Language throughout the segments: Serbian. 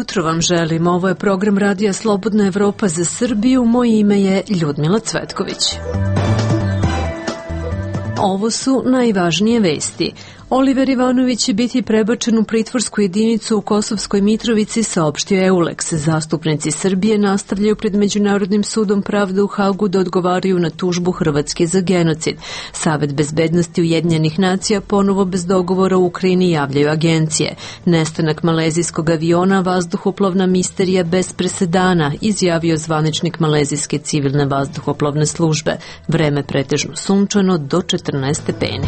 jutro vam želim. Ovo je program Radija Slobodna Evropa za Srbiju. Moje ime je Ljudmila Cvetković. Ovo su najvažnije vesti. Oliver Ivanović će biti prebačen u pritvorsku jedinicu u Kosovskoj Mitrovici, saopštio EULEX. Zastupnici Srbije nastavljaju pred Međunarodnim sudom pravde u Hagu da odgovaraju na tužbu Hrvatske za genocid. Savet bezbednosti Ujedinjenih nacija ponovo bez dogovora u Ukrajini, javljaju agencije. Nestanak malezijskog aviona, vazduhoplovna misterija bez presedana, izjavio zvaničnik malezijske civilne vazduhoplovne službe. Vreme pretežno sunčano do 14 stepeni.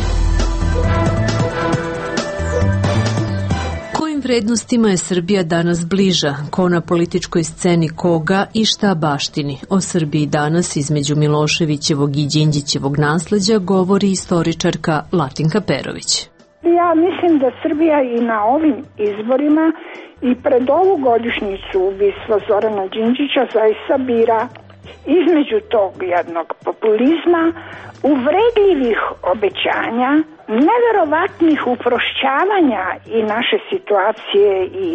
Vrednostima je Srbija danas bliža, ko na političkoj sceni koga i šta baštini. O Srbiji danas između Miloševićevog i Đinđićevog nasleđa govori istoričarka Latinka Perović. Ja mislim da Srbija i na ovim izborima i pred ovu godišnjicu ubistva Zorana Đinđića zaista bira između tog jednog populizma, uvredljivih obećanja, neverovatnih uprošćavanja i naše situacije i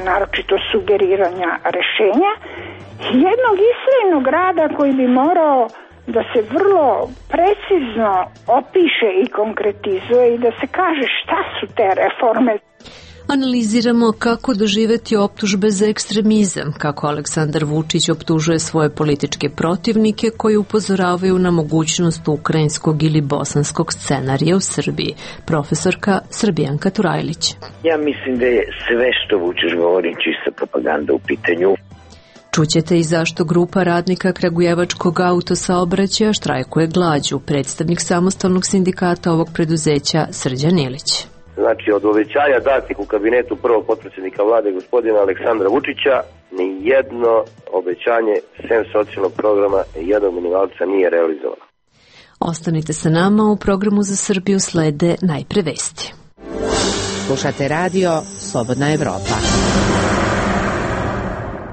naročito sugeriranja rešenja, jednog istrajnog rada koji bi morao da se vrlo precizno opiše i konkretizuje i da se kaže šta su te reforme. Analiziramo kako doživeti optužbe za ekstremizam, kako Aleksandar Vučić optužuje svoje političke protivnike koji upozoravaju na mogućnost ukrajinskog ili bosanskog scenarija u Srbiji. Profesorka Srbijanka Turajlić. Ja mislim da je sve što Vučić govori čista propaganda u pitanju. Čućete i zašto grupa radnika Kragujevačkog autosaobraćaja štrajkuje glađu. Predstavnik samostalnog sindikata ovog preduzeća Srđan Ilić. Znači, od obećanja datih u kabinetu prvog potpredsjednika vlade gospodina Aleksandra Vučića, ni jedno obećanje sem socijalnog programa jednog minimalca nije realizovano. Ostanite sa nama, u programu za Srbiju slede najpre vesti. Slušate radio Slobodna Evropa.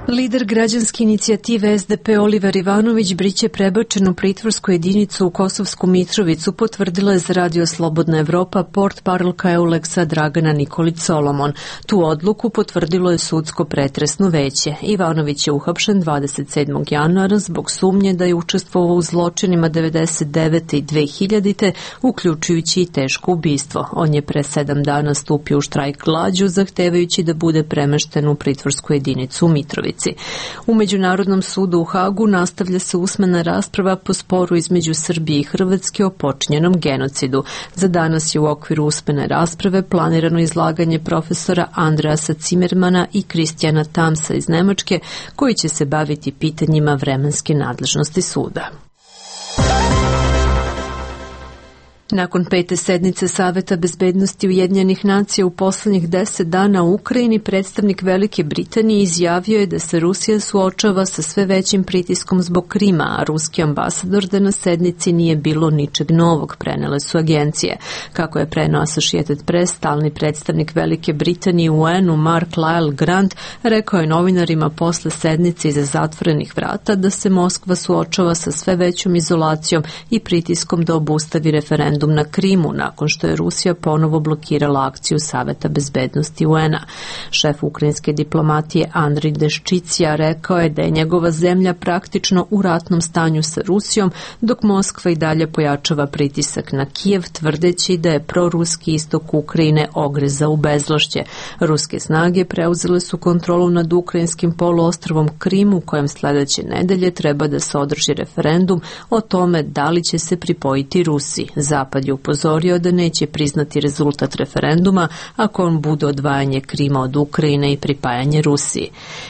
Lider građanske inicijative SDP Oliver Ivanović biće prebačen u pritvorsku jedinicu u Kosovsku Mitrovicu, potvrdila je za Radio Slobodna Evropa portparolka EULEX-a Dragana Nikolić Solomon. Tu odluku potvrdilo je sudsko pretresno veće. Ivanović je uhapšen 27. januara zbog sumnje da je učestvovao u zločinima 99. i 2000. uključujući i teško ubistvo. On je pre 7 dana stupio u štrajk glađu, zahtevajući da bude premešten u pritvorsku jedinicu u Mitrovici. U Međunarodnom sudu u Hagu nastavlja se usmena rasprava po sporu između Srbije i Hrvatske o počinjenom genocidu. Za danas je u okviru usmene rasprave planirano izlaganje profesora Andreasa Cimermana i Kristijana Tamsa iz Nemačke, koji će se baviti pitanjima vremenske nadležnosti suda. Nakon 5. sednice Saveta bezbednosti Ujedinjenih nacija u poslednjih 10 dana u Ukrajini, predstavnik Velike Britanije izjavio je da se Rusija suočava sa sve većim pritiskom zbog Krima, a ruski ambasador da na sednici nije bilo ničeg novog, prenele su agencije. Kako je preneo Associated Press, stalni predstavnik Velike Britanije u UN-u Mark Lyle Grant rekao je novinarima posle sednice iza zatvorenih vrata da se Moskva suočava sa sve većom izolacijom i pritiskom da obustavi referendum na Krimu, nakon što je Rusija ponovo blokirala akciju Saveta bezbednosti UN-a. Šef ukrajinske diplomatije Andrij Deščicija rekao je da je njegova zemlja praktično u ratnom stanju sa Rusijom, dok Moskva i dalje pojačava pritisak na Kijev, tvrdeći da je proruski istok Ukrajine ogreza u bezvlašće. Ruske snage preuzele su kontrolu nad ukrajinskim poluostrvom Krim, u kojem sledeće nedelje treba da se održi referendum o tome da li će se pripojiti Rusiji. Zapad je upozorio da neće priznati rezultat referenduma ako on bude odvajanje Krima od Ukrajine i pripajanje Rusiji.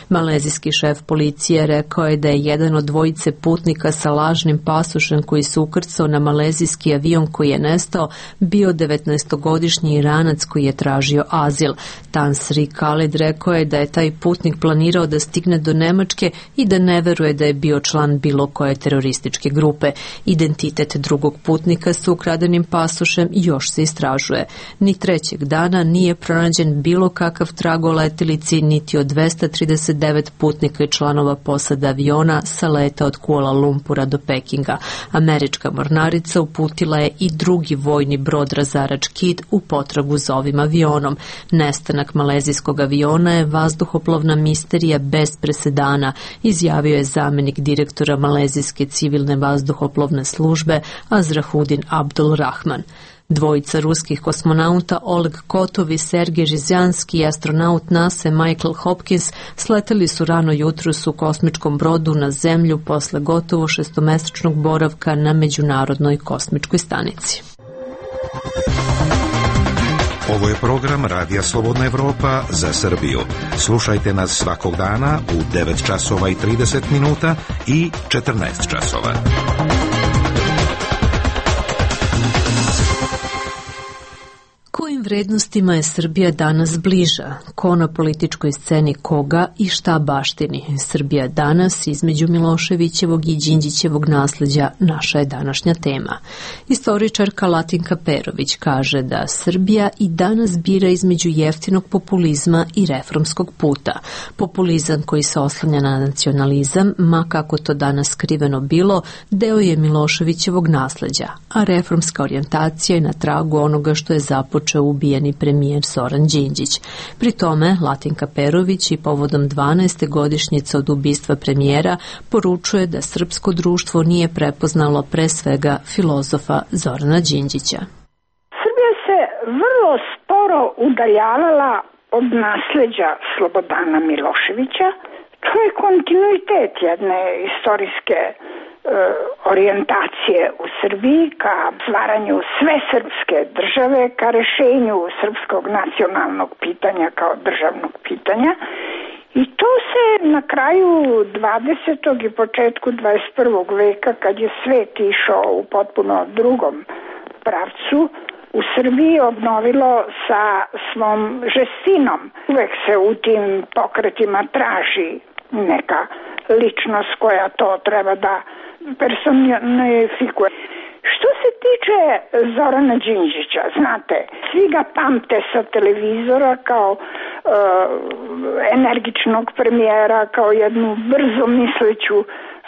Malezijski šef policije rekao je da je jedan od dvojice putnika sa lažnim pasošem koji se ukrcao na malezijski avion koji je nestao bio 19-godišnji Iranac koji je tražio azil. Tan Sri Khalid rekao je da je taj putnik planirao da stigne do Nemačke i da ne veruje da je bio član bilo koje terorističke grupe. Identitet drugog putnika se ukraden ukradenim pasošem još se istražuje. Ni trećeg dana nije pronađen bilo kakav trag o letilici, niti od 239 putnika i članova posade aviona sa leta od Kuala Lumpura do Pekinga. Američka mornarica uputila je i drugi vojni brod razarač Kidd u potragu za ovim avionom. Nestanak malezijskog aviona je vazduhoplovna misterija bez presedana, izjavio je zamenik direktora Malezijske civilne vazduhoplovne službe Azrahuddin Abdul Rahman. Dvojica ruskih kosmonauta Oleg Kotov i Sergej Rizjanski i astronaut NASA Michael Hopkins sleteli su rano jutros u kosmičkom brodu na Zemlju posle gotovo 6-mesečnog boravka na Međunarodnoj kosmičkoj stanici. Ovo je program Radija Slobodna Evropa za Srbiju. Slušajte nas svakog dana u 9 časova i 30 minuta i 14 časova. Kojim vrednostima je Srbija danas bliža? Ko na političkoj sceni koga i šta baštini? Srbija danas između Miloševićevog i Đinđićevog nasleđa naša je današnja tema. Istoričarka Latinka Perović kaže da Srbija i danas bira između jeftinog populizma i reformskog puta. Populizam koji se oslanja na nacionalizam, ma kako to danas skriveno bilo, deo je Miloševićevog nasleđa, a reformska orijentacija je na tragu onoga što je započeo ubijeni premijer Zoran Đinđić. Pri tome, Latinka Perović i povodom 12. godišnjice od ubistva premijera poručuje da srpsko društvo nije prepoznalo pre svega filozofa Zorana Đinđića. Srbija se vrlo sporo udaljavala od nasleđa Slobodana Miloševića. To je kontinuitet jedne istorijske orijentacije u Srbiji ka stvaranju sve srpske države, ka rešenju srpskog nacionalnog pitanja kao državnog pitanja. I to se na kraju 20. i početku 21. veka, kad je svet išao u potpuno drugom pravcu, u Srbiji obnovilo sa svom žestinom. Uvek se u tim pokretima traži neka ličnost koja to treba da personifikuje. Što se tiče Zorana Đinđića, znate, svi ga pamte sa televizora kao energičnog premijera, kao jednu brzo misleću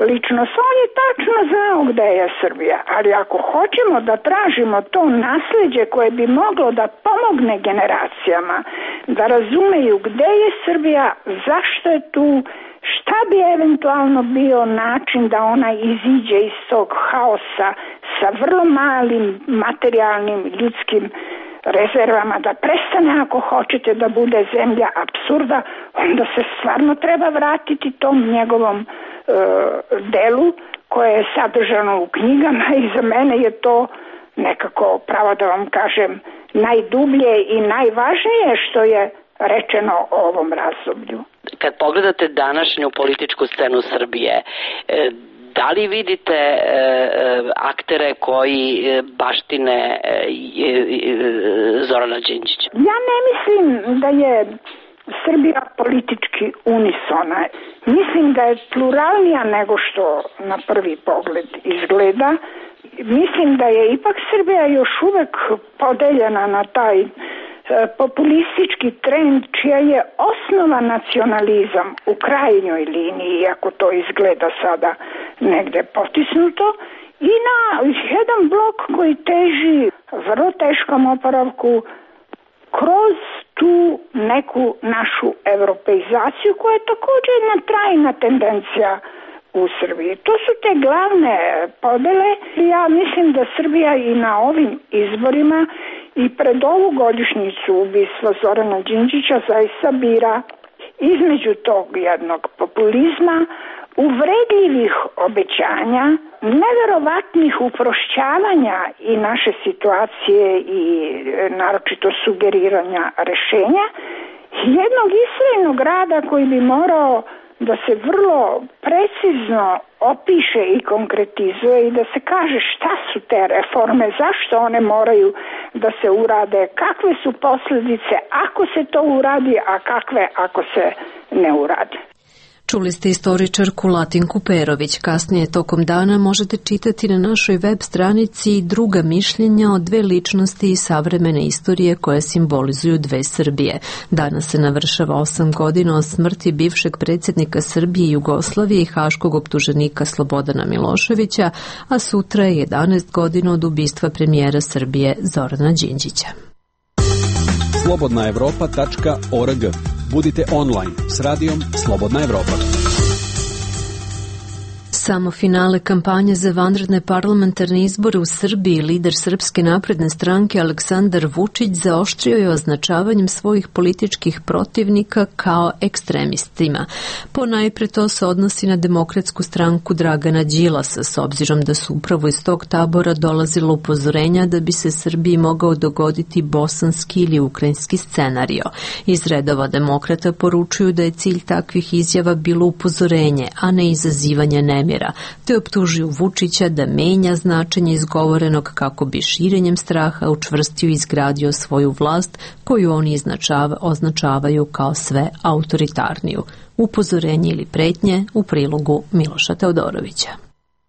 ličnost. On je tačno znao gde je Srbija, ali ako hoćemo da tražimo to nasleđe koje bi moglo da pomogne generacijama da razumeju gde je Srbija, zašto je tu, šta bi eventualno bio način da ona iziđe iz tog haosa sa vrlo malim materijalnim ljudskim rezervama, da prestane, ako hoćete, da bude zemlja apsurda, onda se stvarno treba vratiti tom njegovom delu koje je sadržano u knjigama i za mene je to nekako, pravo da vam kažem, najdublje i najvažnije što je rečeno o ovom razdoblju. Kad pogledate današnju političku scenu Srbije, da li vidite aktere koji baštine Zorana Đinđića? Ja ne mislim da je Srbija politički unisona. Mislim da je pluralnija nego što na prvi pogled izgleda. Mislim da je ipak Srbija još uvek podeljena na taj populistički trend čija je osnova nacionalizam u krajnjoj liniji, iako to izgleda sada negde potisnuto, i na jedan blok koji teži vrlo teškom oporavku kroz tu neku našu evropeizaciju koja je također jedna trajna tendencija u Srbiji. To su te glavne podele. Ja mislim da Srbija i na ovim izborima i pred ovu godišnjicu ubistva Zorana Đinđića zaista bira između tog jednog populizma, uvredljivih obećanja, neverovatnih uprošćavanja i naše situacije i naročito sugeriranja rešenja, jednog istrajnog rada koji bi morao da se vrlo precizno opiše i konkretizuje i da se kaže šta su te reforme, zašto one moraju da se urade, kakve su posljedice ako se to uradi, a kakve ako se ne uradi. Čuli ste istoričarku Latinku Perović. Kasnije tokom dana možete čitati na našoj web stranici druga mišljenja o dve ličnosti iz savremene istorije koje simbolizuju dve Srbije. Danas se navršava 8 godina od smrti bivšeg predsjednika Srbije i Jugoslavije i haškog optuženika Slobodana Miloševića, a sutra je 11 godina od ubistva premijera Srbije Zorana Đinđića. slobodnaevropa.org. Budite online s radijom Slobodna Evropa. Samo finale kampanje za vanredne parlamentarne izbore u Srbiji lider Srpske napredne stranke Aleksandar Vučić zaoštrio je označavanjem svojih političkih protivnika kao ekstremistima. Ponajpre to se odnosi na Demokratsku stranku Dragana Đilasa, s obzirom da su upravo iz tog tabora dolazilo upozorenja da bi se Srbiji mogao dogoditi bosanski ili ukrajinski scenario. Iz redova demokrata poručuju da je cilj takvih izjava bilo upozorenje, a ne izazivanje nemira, te optužuju Vučića da menja značenje izgovorenog kako bi širenjem straha učvrstio i izgradio svoju vlast koju oni označavaju kao sve autoritarniju. Upozorenje ili pretnje u prilogu Miloša Teodorovića.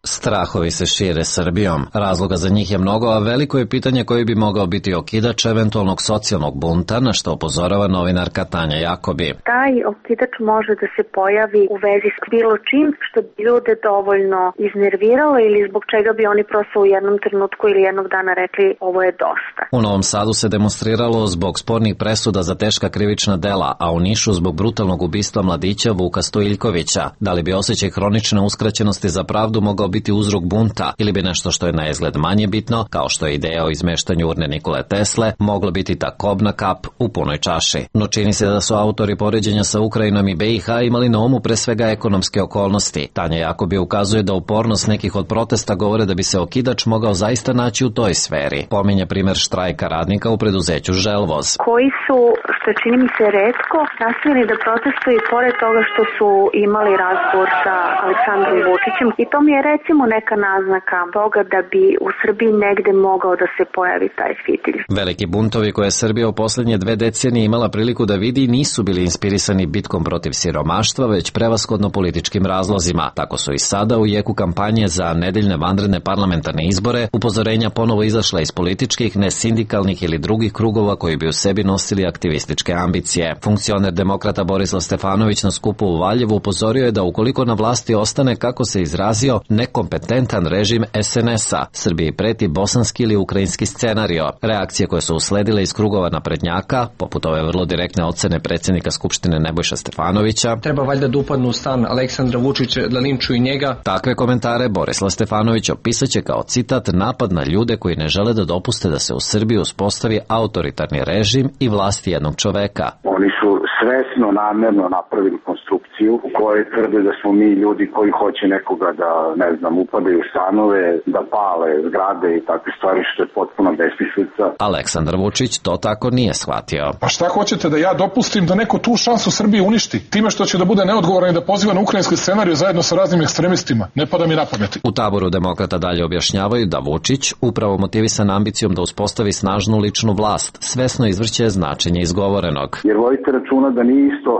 Strahovi se šire Srbijom. Razloga za njih je mnogo, a veliko je pitanje koji bi mogao biti okidač eventualnog socijalnog bunta, na što upozorava novinarka Tanja Jakobi. Taj okidač može da se pojavi u vezi s bilo čim što bi ljude dovoljno iznerviralo ili zbog čega bi oni prosto u jednom trenutku ili jednog dana rekli ovo je dosta. U Novom Sadu se demonstriralo zbog spornih presuda za teška krivična dela, a u Nišu zbog brutalnog ubistva mladića Vuka Stojiljkovića. Da li bi osjećaj hronične uskraćenosti za pravdu mogao biti uzrok bunta ili bi nešto što je na izgled manje bitno, kao što je ideja o izmeštanju urne Nikole Tesle, moglo biti ta kobna kap u punoj čaši. No čini se da su autori poređenja sa Ukrajinom i BiH imali na umu pre svega ekonomske okolnosti. Tanja Jakobi ukazuje da upornost nekih od protesta govore da bi se okidač mogao zaista naći u toj sferi. Pominje primer štrajka radnika u preduzeću Želvoz. Koji su, što čini mi se retko, nastavili da protestuju pored toga što su imali razgovor sa Aleksandrom Vučićem i to mi je recimo neka naznaka toga da bi u Srbiji negde mogao da se pojavi taj fitilj. Veliki buntovi koje je Srbija u posljednje 2 decenije imala priliku da vidi nisu bili inspirisani bitkom protiv siromaštva, već prevashodno političkim razlozima. Tako su i sada u jeku kampanje za nedeljne vanredne parlamentarne izbore upozorenja ponovo izašla iz političkih, nesindikalnih ili drugih krugova koji bi u sebi nosili aktivističke ambicije. Funkcioner demokrata Borislav Stefanović na skupu u Valjevu upozorio je da ukoliko na vlasti ostane, kako se izrazio, nekompetentan režim SNS-a, Srbiji preti bosanski ili ukrajinski scenario. Reakcije koje su usledile iz krugova naprednjaka, poput ove vrlo direktne ocene predsjednika Skupštine Nebojša Stefanovića, treba valjda da upadnu u stan Aleksandra Vučića, da linčuju njega. Takve komentare Borislav Stefanović opisaće kao citat napad na ljude koji ne žele da dopuste da se u Srbiji uspostavi autoritarni režim i vlast jednog čoveka. Oni su svesno, namerno napravili konstrukciju u kojoj tvrde da smo mi ljudi koji hoće nekoga da, ne znam, upadaju u stanove, da pale zgrade i takve stvari, što je potpuno besmislica. Aleksandar Vučić to tako nije shvatio. Pa šta hoćete, da ja dopustim da neko tu šansu Srbije uništi? Time što će da bude neodgovoran i da poziva na ukrajinski scenarij zajedno sa raznim ekstremistima? Ne pada mi na pamet. U taboru demokrata dalje objašnjavaju da Vučić, upravo motivisan ambicijom da uspostavi snažnu ličnu vlast, svesno izvrće značenje izgovorenog. Jer vodite računa da nije isto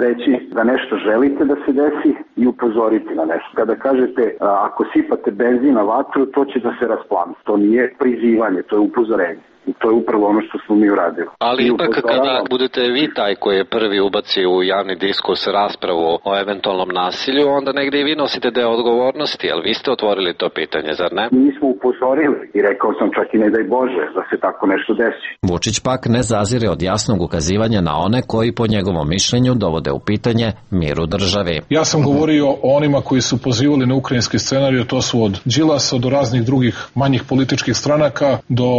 reći da nešto želite da se desi i upozoriti na nešto. Kada kažete ako sipate benzin na vatru, to će da se rasplami. To nije prizivanje, to je upozorenje. I to je upravo ono što smo mi uradili. Ali ipak kada budete vi taj koji je prvi ubaci u javni diskurs raspravu o eventualnom nasilju, onda negdje i vi nosite deo odgovornosti, ali vi ste otvorili to pitanje, zar ne? Mi smo upozorili i rekao sam čak i ne daj Bože da se tako nešto desi. Vučić pak ne zazire od jasnog ukazivanja na one koji po njegovom mišljenju dovode u pitanje mir u državi. Ja sam govorio o onima koji su pozivali na ukrajinski scenarij, to su od Đilasa do raznih drugih manjih političkih stranaka do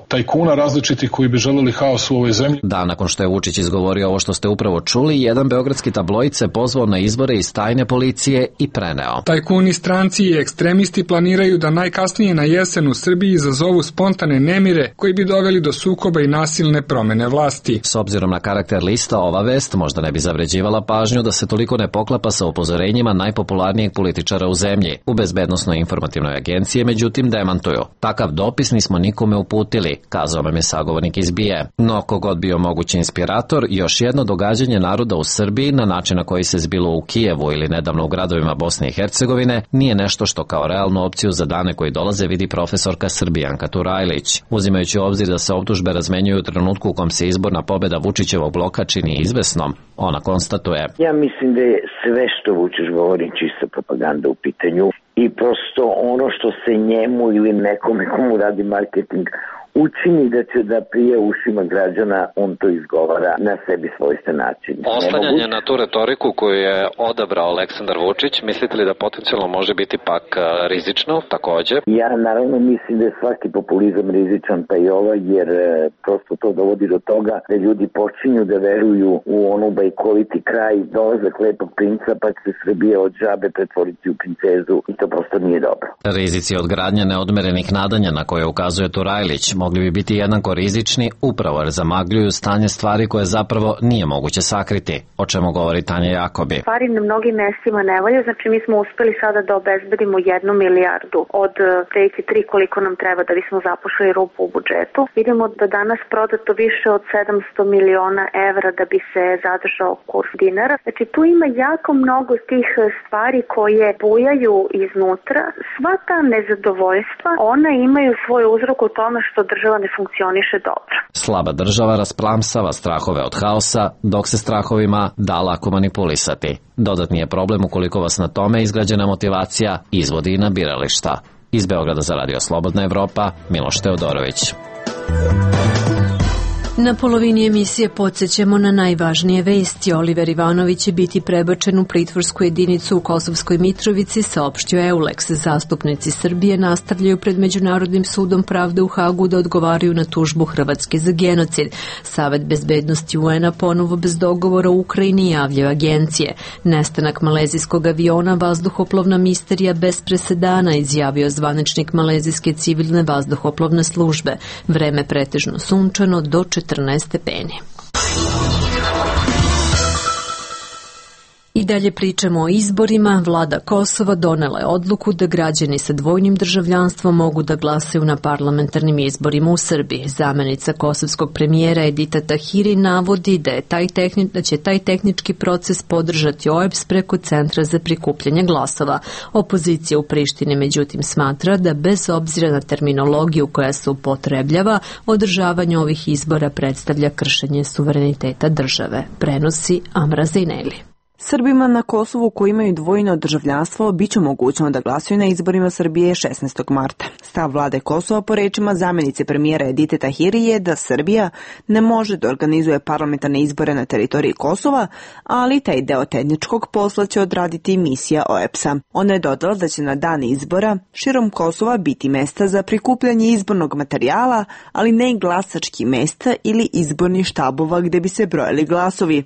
tajkuna različitih koji bi želeli haos u ovoj zemlji. Da, nakon što je Vučić izgovorio ovo što ste upravo čuli, jedan beogradski tabloid se pozvao na izbore iz tajne policije i preneo. Tajkuni, stranci i ekstremisti planiraju da najkasnije na jesen u Srbiji izazovu spontane nemire koji bi doveli do sukoba i nasilne promene vlasti. S obzirom na karakter lista, ova vest možda ne bi zavređivala pažnju da se toliko ne poklapa sa upozorenjima najpopularnijeg političara u zemlji. U Bezbednosnoj informativnoj agenciji, međutim, demantuju. Takav dopis nismo nikome uputili, kazao nazove me sagovornik iz BIA. No, kogod bio mogući inspirator, još jedno događanje naroda u Srbiji na način na koji se zbilo u Kijevu ili nedavno u gradovima Bosne i Hercegovine nije nešto što kao realnu opciju za dane koji dolaze vidi profesorka Srbijanka Turajlić. Uzimajući u obzir da se optužbe razmenjuju u trenutku u kom se izborna pobeda Vučićevog bloka čini izvesnom, ona konstatuje: Ja mislim da je sve što Vučić govori čista propaganda u pitanju i prosto ono što se njemu ili nekome komu radi marketing učini da će da prije ušima građana, on to izgovara na sebi svojstven način. Oslanjanje na tu retoriku koju je odabrao Aleksandar Vučić, mislite li da potencijalno može biti pak rizično takođe? Ja naravno mislim da je svaki populizam rizičan, pa i ovaj, jer prosto to dovodi do toga da ljudi počinju da veruju u onu bajkoviti kraj, dolazak lepog princa, pa će se Srbija od žabe pretvoriti u princezu i to prosto nije dobro. Rizici od gradnje neodmerenih nadanja na koje ukazuje Turajlić mogli bi biti jednako rizični upravo jer zamagljuju stanje stvari koje zapravo nije moguće sakriti, o čemu govori Tanja Jakobi. Stvari na mnogim mestima ne valja, znači mi smo uspeli sada da obezbedimo 1 milijardu od 3 koliko nam treba da bismo zapošli rupu u budžetu. Vidimo da danas prodato više od 700 miliona evra da bi se zadržao kurs dinara. Znači tu ima jako mnogo tih stvari koje bujaju iznutra. Sva ta nezadovoljstva, ona imaju svoj uzrok u tome što država ne funkcioniše dobro. Slaba država rasplamsava strahove od haosa, dok se strahovima da lako manipulisati. Dodatni je problem ukoliko vas na tome izgrađena motivacija izvodi i na birališta. Iz Beograda za Radio Slobodna Evropa, Miloš Teodorović. Na polovini emisije podsjećamo na najvažnije vesti. Oliver Ivanović će biti prebačen u pritvorsku jedinicu u Kosovskoj Mitrovici, saopštio Eulex. Zastupnici Srbije nastavljaju pred Međunarodnim sudom pravde u Hagu da odgovaraju na tužbu Hrvatske za genocid. Savet bezbednosti UN-a ponovo bez dogovora u Ukrajini, javljaju agencije. Nestanak malezijskog aviona, vazduhoplovna misterija bez presedana, izjavio zvaničnik malezijske civilne vazduhoplovne službe. Vreme pretežno sunčano do 14 stepeni. I dalje pričamo o izborima. Vlada Kosova donela je odluku da građani sa dvojnim državljanstvom mogu da glasaju na parlamentarnim izborima u Srbiji. Zamenica kosovskog premijera Edita Tahiri navodi da će taj tehnički proces podržati OEBS preko Centra za prikupljanje glasova. Opozicija u Prištini međutim smatra da bez obzira na terminologiju koja se upotrebljava, održavanje ovih izbora predstavlja kršenje suvereniteta države. Prenosi Amra Zejneli. Srbima na Kosovu koji imaju dvojno državljanstvo biće omogućeno da glasuju na izborima Srbije 16. marta. Stav vlade Kosova po rečima zamenice premijera Edite Tahiri je da Srbija ne može da organizuje parlamentarne izbore na teritoriji Kosova, ali taj deo tehničkog posla će odraditi misija OEBS-a. Ona je dodala da će na dan izbora širom Kosova biti mesta za prikupljanje izbornog materijala, ali ne i glasački mesta ili izborni štabova gde bi se brojali glasovi.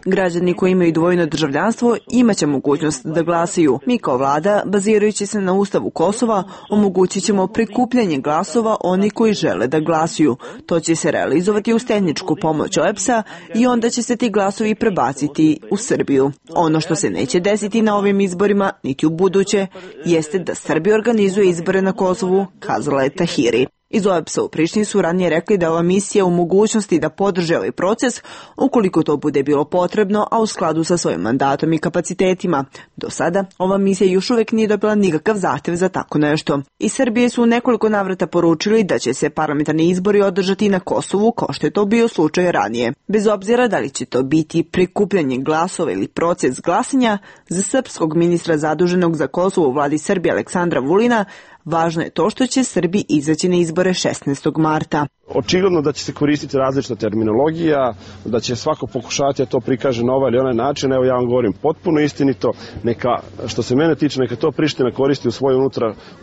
Građani koji imaju dvojno državljanstvo imaće mogućnost da glasaju. Mi kao vlada, bazirajući se na Ustavu Kosova, omogućit ćemo prikupljanje glasova oni koji žele da glasuju. To će se realizovati uz tehničku pomoć OEBS-a i onda će se ti glasovi prebaciti u Srbiju. Ono što se neće desiti na ovim izborima, niti u buduće, jeste da Srbija organizuje izbore na Kosovu, kazala je Tahiri. Iz OEBS-a u Prištini su ranije rekli da ova misija u mogućnosti da podrže ovaj proces ukoliko to bude bilo potrebno, a u skladu sa svojim mandatom i kapacitetima. Do sada ova misija još uvek nije dobila nikakav zahtev za tako nešto. Iz Srbije su u nekoliko navrata poručili da će se parlamentarni izbori održati na Kosovu kao što je to bio slučaj ranije. Bez obzira da li će to biti prikupljanje glasova ili proces glasanja, za srpskog ministra zaduženog za Kosovo u vladi Srbije Aleksandra Vulina, važno je to što će Srbi izaći na izbore 16. marta. Očigledno da će se koristiti različita terminologija, da će svako pokušati da to prikaže na ovaj ili onaj način. Evo ja vam govorim potpuno istinito, neka, što se mene tiče, neka to Priština koristi u svoje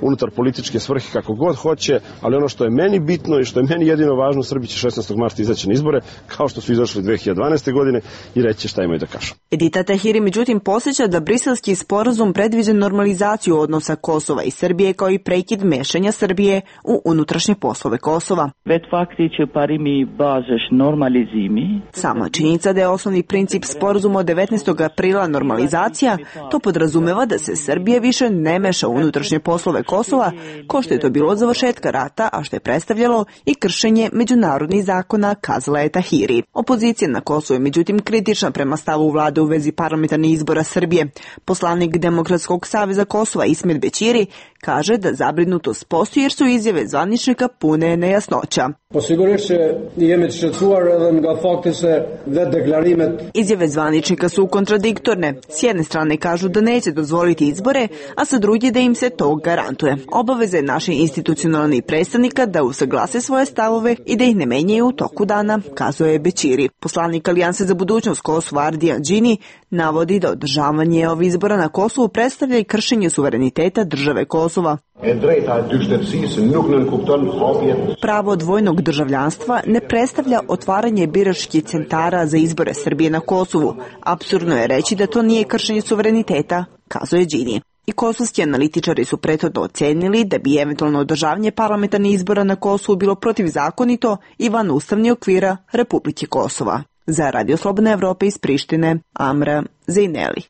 unutar političke svrhe kako god hoće, ali ono što je meni bitno i što je meni jedino važno, Srbi će 16. marta izaći na izbore, kao što su izašli 2012. godine i reći šta imaju da kažu. Edita Tahiri međutim posjeća da briselski sporazum predviđa normalizaciju odnosa Kosova i Srbije kao i prekid mešanja Srbije u unutrašnje poslove Kosova. Sama činjenica da je osnovni princip sporazuma od 19. aprila normalizacija, to podrazumeva da se Srbija više ne meša u unutrašnje poslove Kosova, ko što je to bilo od završetka rata, a što je predstavljalo i kršenje međunarodnih zakona, kazala je Tahiri. Opozicija na Kosovu je međutim kritična prema stavu vlade u vezi parlamentarnih izbora Srbije. Poslanik Demokratskog saveza Kosova Ismet Bećiri kaže da zabrinutost postoji jer su izjave zvaničnika pune nejasnoća. Izjave zvaničnika su kontradiktorne. S jedne strane kažu da neće dozvoliti izbore, a sa druge da im se to garantuje. Obaveza je naših institucionalnih predstavnika da usaglase svoje stavove i da ih ne menjaju u toku dana, kazuje Bećiri. Poslanik Alijanse za budućnost Kosova Ardijan Džini navodi da održavanje ovih izbora na Kosovu predstavlja i kršenje suvereniteta države Kosova. Pravo dvojnog državljanstva ne predstavlja otvaranje biračkih centara za izbore Srbije na Kosovu. Apsurdno je reći da to nije kršenje suvereniteta, kazuje Džini. I kosovski analitičari su prethodno ocenili da bi eventualno održavanje parlamentarnih izbora na Kosovu bilo protivzakonito i van ustavnih okvira Republike Kosova. Za Radio Slobodna Evropa iz Prištine, Amra Zejneli.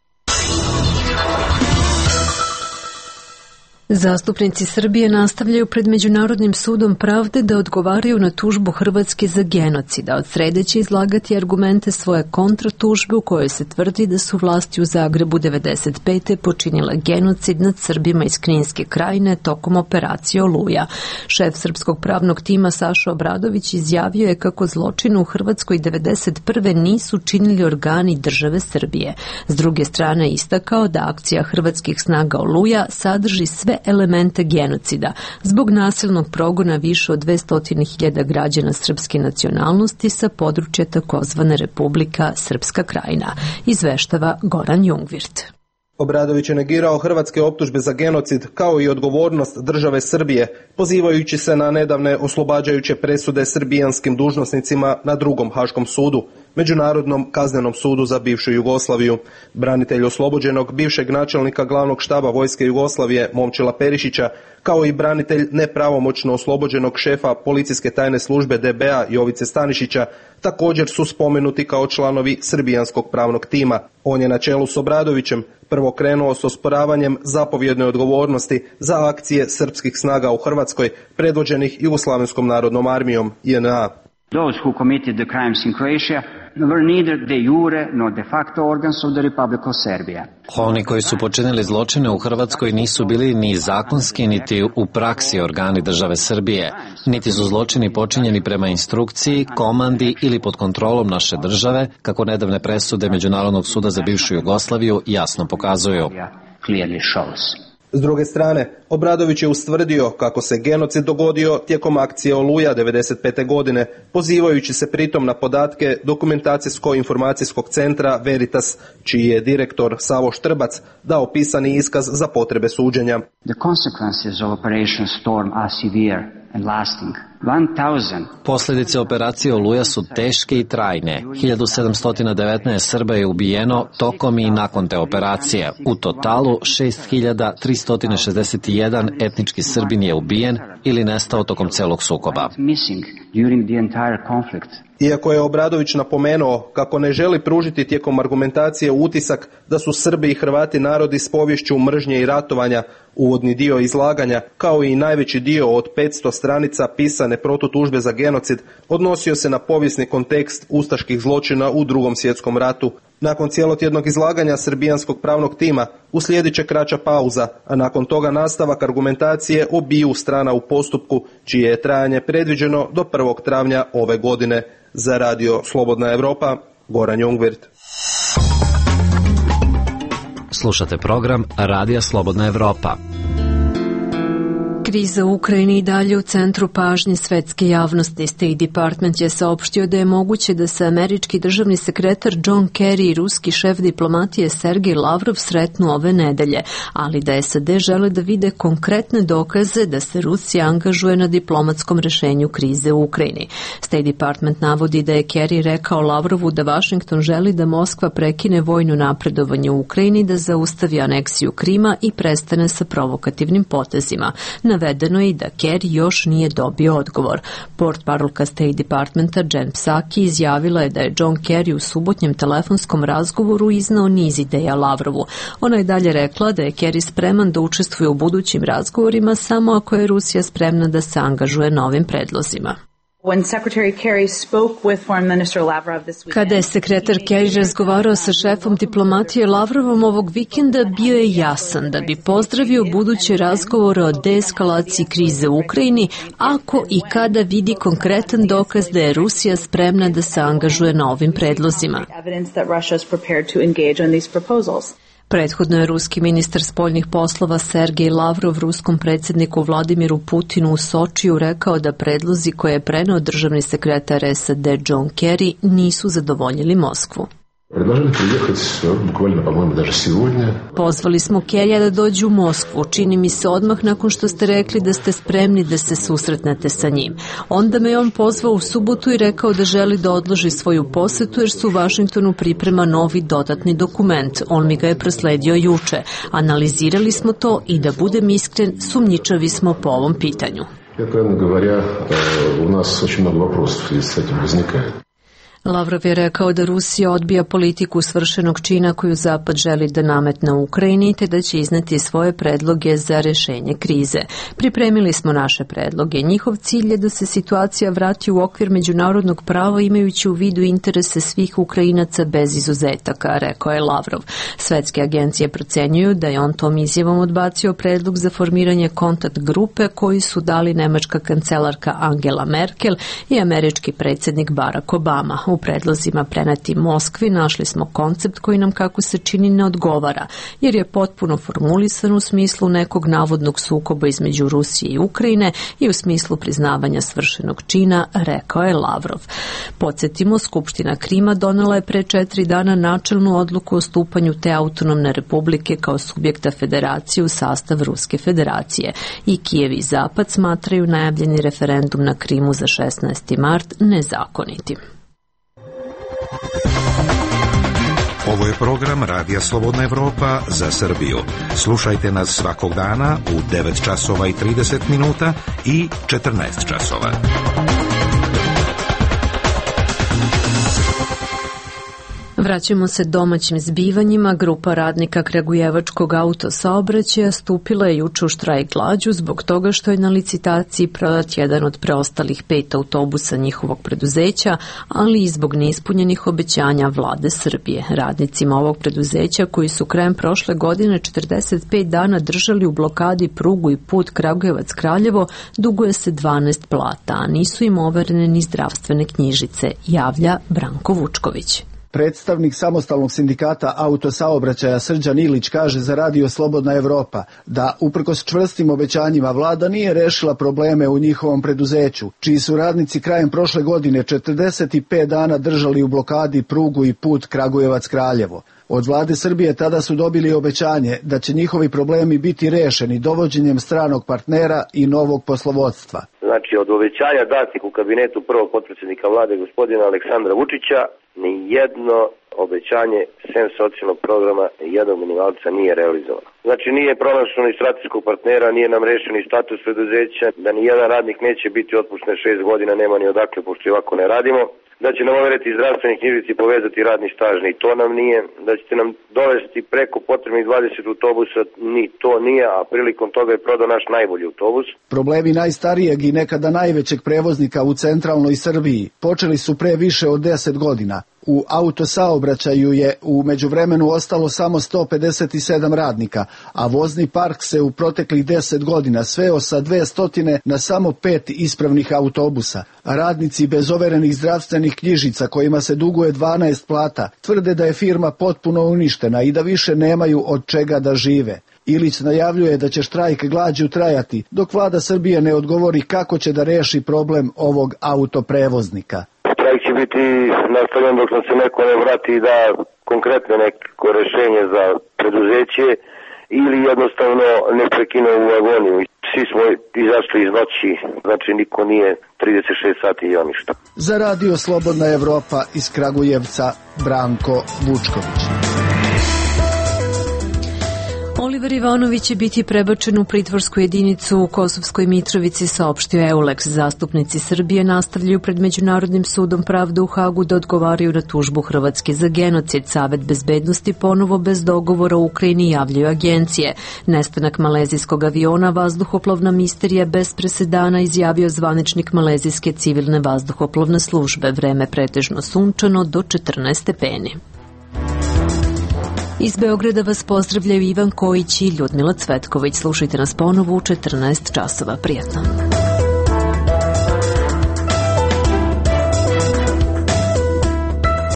Zastupnici Srbije nastavljaju pred Međunarodnim sudom pravde da odgovaraju na tužbu Hrvatske za genocid, a od srede će izlagati argumente svoje kontratužbe u kojoj se tvrdi da su vlasti u Zagrebu 1995. počinile genocid nad Srbima iz Kninske krajine tokom operacije Oluja. Šef srpskog pravnog tima Saša Obradović izjavio je kako zločine u Hrvatskoj 1991. nisu činili organi države Srbije. S druge strane istakao da akcija hrvatskih snaga Oluja sadrži sve elemente genocida zbog nasilnog progona više od 200.000 građana srpske nacionalnosti sa područja takozvane Republika Srpska krajina, izveštava Goran Jungvirt. Obradović je negirao hrvatske optužbe za genocid kao i odgovornost države Srbije, pozivajući se na nedavne oslobađajuće presude srbijanskim dužnosnicima na drugom Haškom sudu, Međunarodnom kaznenom sudu za bivšu Jugoslaviju. Branitelj oslobođenog bivšeg načelnika glavnog štaba Vojske Jugoslavije Momčila Perišića, kao i branitelj nepravomoćno oslobođenog šefa policijske tajne službe DB-a Jovice Stanišića, također su spomenuti kao članovi srbijanskog pravnog tima. On je na čelu s Obradovićem prvo krenuo s osporavanjem zapovjedne odgovornosti za akcije srpskih snaga u Hrvatskoj, predvođenih Jugoslavenskom narodnom armijom, JNA. Those who committed the crimes in Croatia were neither de jure nor de facto organs of the Republic of Serbia. Oni koji su počinili zločine u Hrvatskoj nisu bili ni zakonski, niti u praksi organi države Srbije, niti su zločini počinjeni prema instrukciji, komandi ili pod kontrolom naše države, kako nedavne presude Međunarodnog suda za bivšu Jugoslaviju jasno pokazuju. S druge strane, Obradović je ustvrdio kako se genocid dogodio tijekom akcije Oluja 1995. godine, pozivajući se pritom na podatke Dokumentacijsko-informacijskog centra Veritas, čiji je direktor Savo Štrbac dao pisani iskaz za potrebe suđenja. The consequences of Operation Storm are severe and lasting. 1000. Posljedice operacije Oluja su teške i trajne. 1719 Srba je ubijeno tokom i nakon te operacije. U totalu 6361 etnički Srbin je ubijen ili nestao tokom celog sukoba. Iako je Obradović napomenuo kako ne želi pružiti tijekom argumentacije utisak da su Srbi i Hrvati narodi s poviješću mržnje i ratovanja, uvodni dio izlaganja, kao i najveći dio od 500 stranica pisane protutužbe za genocid, odnosio se na povijesni kontekst ustaških zločina u Drugom svjetskom ratu. Nakon cijelotjednog izlaganja srbijanskog pravnog tima uslijedit će kraća pauza, a nakon toga nastavak argumentacije obiju strana u postupku, čije je trajanje predviđeno do 1. travnja ove godine. Za Radio Slobodna Evropa, Goran Jungvirt. Slušate program Radija Slobodna Evropa. Kriza u Ukrajini i dalje u centru pažnje svetske javnosti. State Department je saopštio da je moguće da se američki državni sekretar John Kerry i ruski šef diplomatije Sergej Lavrov sretnu ove nedelje, ali da SAD žele da vide konkretne dokaze da se Rusija angažuje na diplomatskom rešenju krize u Ukrajini. State Department navodi da je Kerry rekao Lavrovu da Washington želi da Moskva prekine vojno napredovanje u Ukrajini, da zaustavi aneksiju Krima i prestane sa provokativnim potezima. Navedeno je i da Kerry još nije dobio odgovor. Portparolka State Departmenta Jen Psaki izjavila je da je John Kerry u subotnjem telefonskom razgovoru iznao niz ideja Lavrovu. Ona je dalje rekla da je Kerry spreman da učestvuje u budućim razgovorima samo ako je Rusija spremna da se angažuje na ovim predlozima. Kada je sekretar Kerry razgovarao sa šefom diplomatije Lavrovom ovog vikenda, bio je jasan da bi pozdravio buduće razgovore o deeskalaciji krize u Ukrajini ako i kada vidi konkretan dokaz da je Rusija spremna da se angažuje na ovim predlozima. Prethodno je ruski ministar spoljnih poslova Sergej Lavrov ruskom predsjedniku Vladimiru Putinu u Sočiju rekao da predlozi koje je preneo državni sekretar SAD John Kerry nisu zadovoljili Moskvu. Pozvali smo Kerrya da dođe u Moskvu, čini mi se odmah nakon što ste rekli da ste spremni da se susretnete sa njim. Onda me on pozvao u subotu i rekao da želi da odloži svoju posetu jer su u Vašingtonu priprema novi dodatni dokument. On mi ga je prosledio juče. Analizirali smo to i da budem iskren, sumnjičavi smo po ovom pitanju. Lavrov je rekao da Rusija odbija politiku svršenog čina koju Zapad želi da nametne u Ukrajini, te da će izneti svoje predloge za rešenje krize. Pripremili smo naše predloge. Njihov cilj je da se situacija vrati u okvir međunarodnog prava imajući u vidu interese svih Ukrajinaca bez izuzetaka, rekao je Lavrov. Svetske agencije procenjuju da je on tom izjavom odbacio predlog za formiranje kontakt grupe koji su dali nemačka kancelarka Angela Merkel i američki predsjednik Barack Obama. U predlozima preneti Moskvi našli smo koncept koji nam, kako se čini, ne odgovara, jer je potpuno formulisan u smislu nekog navodnog sukoba između Rusije i Ukrajine i u smislu priznavanja svršenog čina, rekao je Lavrov. Podsjetimo, Skupština Krima donela je pre 4 dana načelnu odluku o stupanju te autonomne republike kao subjekta federacije u sastav Ruske federacije. I Kijev i Zapad smatraju najavljeni referendum na Krimu za 16. mart nezakonitim. Ovo je program Radija Slobodna Evropa za Srbiju. Slušajte nas svakog dana u 9 časova i 30 minuta i 14 časova. Vraćamo se domaćim zbivanjima. Grupa radnika Kragujevačkog autosaobraćaja stupila je juče u štrajk glađu zbog toga što je na licitaciji prodat jedan od preostalih 5 autobusa njihovog preduzeća, ali i zbog neispunjenih obećanja vlade Srbije. Radnicima ovog preduzeća, koji su krajem prošle godine 45 dana držali u blokadi prugu i put Kragujevac-Kraljevo, duguje se 12 plata, a nisu im overene ni zdravstvene knjižice, javlja Branko Vučković. Predstavnik samostalnog sindikata autosaobraćaja Srđan Ilić kaže za Radio Slobodna Evropa da uprkos čvrstim obećanjima vlada nije rešila probleme u njihovom preduzeću, čiji su radnici krajem prošle godine 45 dana držali u blokadi prugu i put Kragujevac-Kraljevo. Od vlade Srbije tada su dobili obećanje da će njihovi problemi biti rešeni dovođenjem stranog partnera i novog poslovodstva. Znači, od obećanja datih u kabinetu prvog potpredsjednika vlade gospodina Aleksandra Vučića, ni jedno obećanje sem socijalnog programa jednog minimalca nije realizovano. Znači, nije pronašlo ni strateškog partnera, nije nam rešen ni status preduzeća, da ni jedan radnik neće biti otpušten 6 godina, nema ni odakle, pošto i ovako ne radimo. Da će nam overiti zdravstveni knjižici i povezati radni staž, ni to nam nije. Da ćete nam dovesti preko potrebnih 20 autobusa, ni to nije, a prilikom toga je prodao naš najbolji autobus. Problemi najstarijeg i nekada najvećeg prevoznika u centralnoj Srbiji počeli su pre više od 10 godina. U autosaobraćaju je u međuvremenu ostalo samo 157 radnika, a vozni park se u proteklih 10 godina sveo sa 200 na samo 5 ispravnih autobusa. Radnici bez overenih zdravstvenih knjižica kojima se duguje 12 plata tvrde da je firma potpuno uništena i da više nemaju od čega da žive. Ilić najavljuje da će štrajk glađu trajati, dok vlada Srbije ne odgovori kako će da reši problem ovog autoprevoznika. Štrajk će biti nastavljen dok nam se neko ne vrati i da konkretno neko rešenje za preduzeće ili jednostavno ne prekine u agoniju. Svi smo izašli iz noći, znači niko nije 36 sati i ništa. Za Radio Slobodna Evropa iz Kragujevca, Branko Vučković. Oliver Ivanović će biti prebačen u pritvorsku jedinicu u Kosovskoj Mitrovici, saopštio Eulex. Zastupnici Srbije nastavljaju pred Međunarodnim sudom pravde u Hagu da odgovaraju na tužbu Hrvatske za genocid. Savet bezbednosti ponovo bez dogovora u Ukrajini, javljaju agencije. Nestanak malezijskog aviona, vazduhoplovna misterija bez presedana, izjavio zvaničnik malezijske civilne vazduhoplovne službe. Vreme pretežno sunčano do 14 stepeni. Iz Beograda vas pozdravljaju Ivan Kojić i Ljudmila Cvetković. Slušajte nas ponovo u 14 časova. Prijatno.